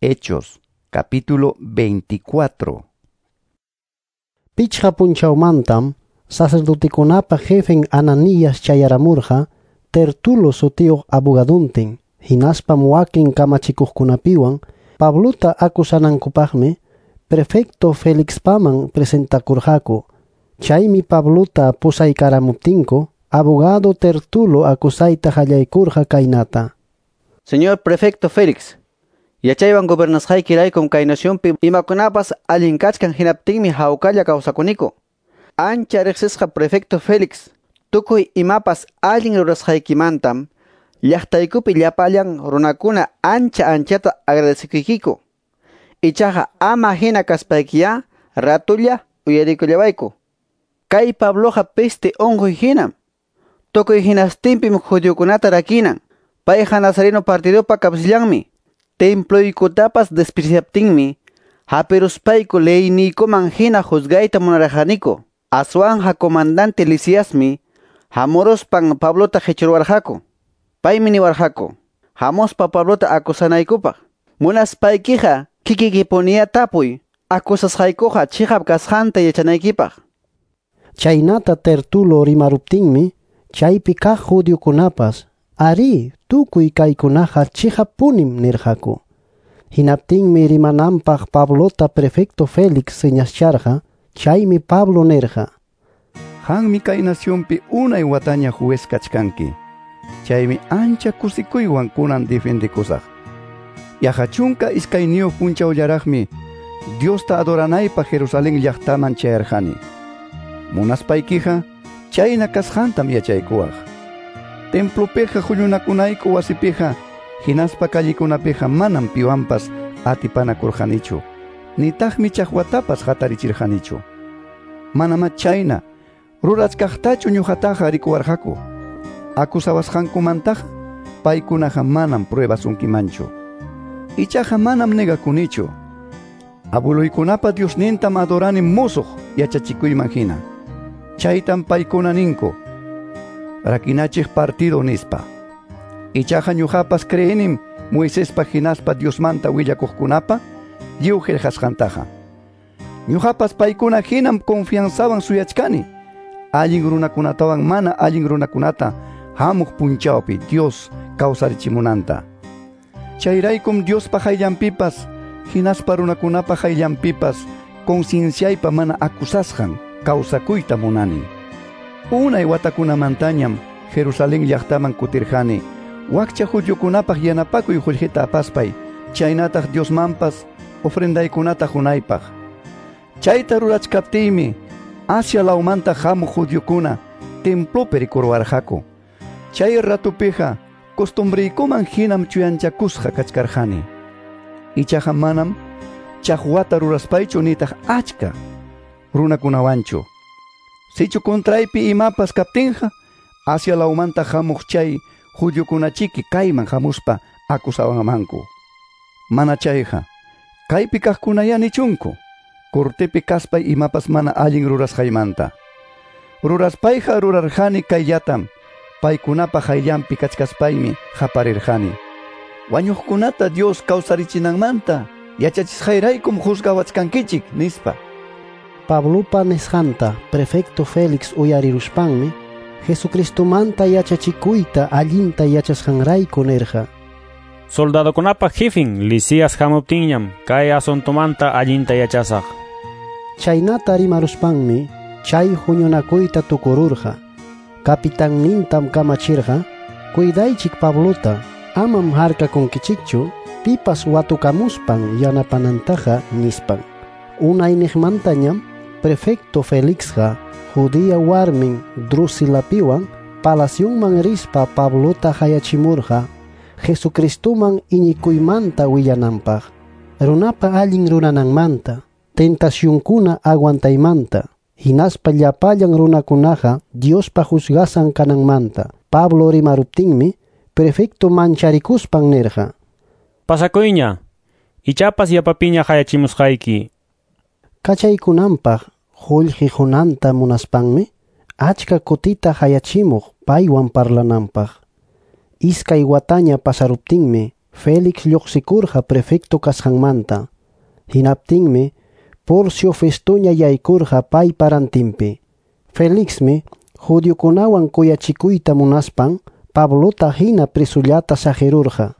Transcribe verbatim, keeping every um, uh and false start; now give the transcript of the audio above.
Hechos, capítulo veinticuatro. Pichqa punchawmantam sacerdotekunapa jefen Ananías chayaramurqa Tertulo sutiyuq abogaduntin, hinaspam wakin kamachikuqkunapiwan Pablota acusanankupaqmi prefecto Felixpaman presentakurqaku. Chaymi Pablota pusaykaramuptinku abogado Tertulo acusayta qallaykurqa kaynata: Señor prefecto Félix, yachaywan gobernasqaykiraykum kay nacionpi imakunapas allin kachkan hinaptinmi hawkalla kawsakuniku. Ancha riqsisqa prefecto Félix, tukuy imapas allin rurasqaykimantam llaqtaykupi llapallan runakuna ancha anchata agradecekuykiku. Ichaqa ama hina kaspaykiya ratulla uyarikullawayku. Kay Pabloqa peste unquy hinam. Tukuy hinastinpim judiokunata rakinan. Payqa Nazareno partidopa kapsillanmi. Temploykutapas despreciaptinmi hapiruspayku leyniykuman hina juzgayta munarqaniku. Aswanja comandante Lisiasmi hamuruspan Pablota qichurwarqaku. Paymi niwarqaku: hamuspa Pablota acusanaykupaq. Munaspaykiqa kikikipuniya tapuy, acusasqaykuqa chiqap kasqanta yachanaykipaq. Chaynata Tertulo rimaruptinmi chaypi kaq judiokunapas arí, tukuy kaykunaqa chiqappunim nirqaku. Hinaptinmi rimananpaq Pablota prefecto Félix señascharqa. Chaymi Pablo nirqa: Qanmi kay nacionpi unay wataña juez kachkanki. Chaymi ancha kusikuywan kunan defendikusaq. Yaqa chunka iskayniyuq punchawllaraqmi Diosta adoranaypaq Jerusalén llaqtaman chayarqani. Munaspaykiqa chayna kasqantam yachaykuwaq. Templopiqa huñunakunayku wasipiqa hinaspa callikunapiqa manam piwanpas atipanakurqanichu, nitaqmi chaqwatapas hatarichirqanichu. Manamá chayna rurachkaqtachu ñuqataqa rikuwarqaku. Acusawasqankumantaqa paykunaqa manam pruebasunkimanchu. Ichaqa manam negakunichu. Abueluykunapa Diosnintam adorani musuq yachachikuyman hina. Chaytam paykuna ninku rakinachiq partido nispa. Ichaqa ñuqapas creenim Moisespa hinaspa Diosmanta willakuqkunapa lliw qillqasqantaqa. Ñuqapas paykuna hinam confianzawan suyachkani allin runakunatawan mana allin runakunata hamuq punchawpi Dios kawsarichimunanta. Chayraykum Diospa hayllanpipas hinaspa runakunapa hayllanpipas concienciaypa mana acusasqan kawsakuyta munani. Unay watakunamantañam Jerusalén llaqtaman kutirqani wakcha judiokunapaq yanapakuy qullqita apaspay, chaynataq Diosmanpas ofrendaykunata qunaypaq. Chayta rurachkaptiymi Asia lawmanta hamuq judiokuna templopi rikurwarqaku. Chay ratupiqa costumbriykuman hinam chuyanchakusqa kachkarqani. Ichaqa manam chaqwata ruraspaychu nitaq achka runakunawanchu. Sichu contraypi imapas kaptinqa Asia lawmanta hamuq chay judiokunachiki kayman hamuspa acusawanmanku. Mana chayqa kaypi kaqkunaya nichunku cortepi kaspay imapas mana allin rurasqaymanta. Ruraspayqa rurarqani kayllatam, paykunapa hayllanpi kachkaspaymi qaparirqani: wañuqkunata Dios kawsarichinanmanta yachachisqayraykum juzgawachkankichik, nispa. Pablopa nisqanta prefecto Félix uyariruspanmi Jesucristomanta yachachikuyta allinta yachasqanrayku nirqa: Soldadokunapa jefin Lisias hamuptinñam kay asuntomanta allinta yachasaq. Chaynata rimaruspanmi chay huñunakuyta tukururqa. Capitannintam kamachirqa: cuidaychik Pablota, amam harkakunkichikchu pipas watukamuspan yanapanantaqa, nispan. Unayniqmantañam prefecto Felixqa judía warmin Drusilapiwan palacionman rispa Pablota hayachimurqa Jesucristoman iñikuymanta willananpaq, runapa allin rurananmanta, tentacionkuna aguantaymanta, hinaspa llapallan runakunaqa Diospa juzgasan kananmanta. Pablo rimaruptinmi prefecto mancharikuspan nirqa: Pasakuyña, ichapas yapapiña hayachimusqayki. Kachaykunanpaq qullqi qunanta munaspanmi achka kutita hayachimuq paywan parlananpaq. Iskay wataña pasaruptinmi Félix lluqsikurqa prefecto kasqanmanta. Hinaptinmi Porcio Festoña yaykurqa paypa rantinpi. Felixmi judiokunawan kuyachikuyta munaspan Pablota hina presullata saqirurqa.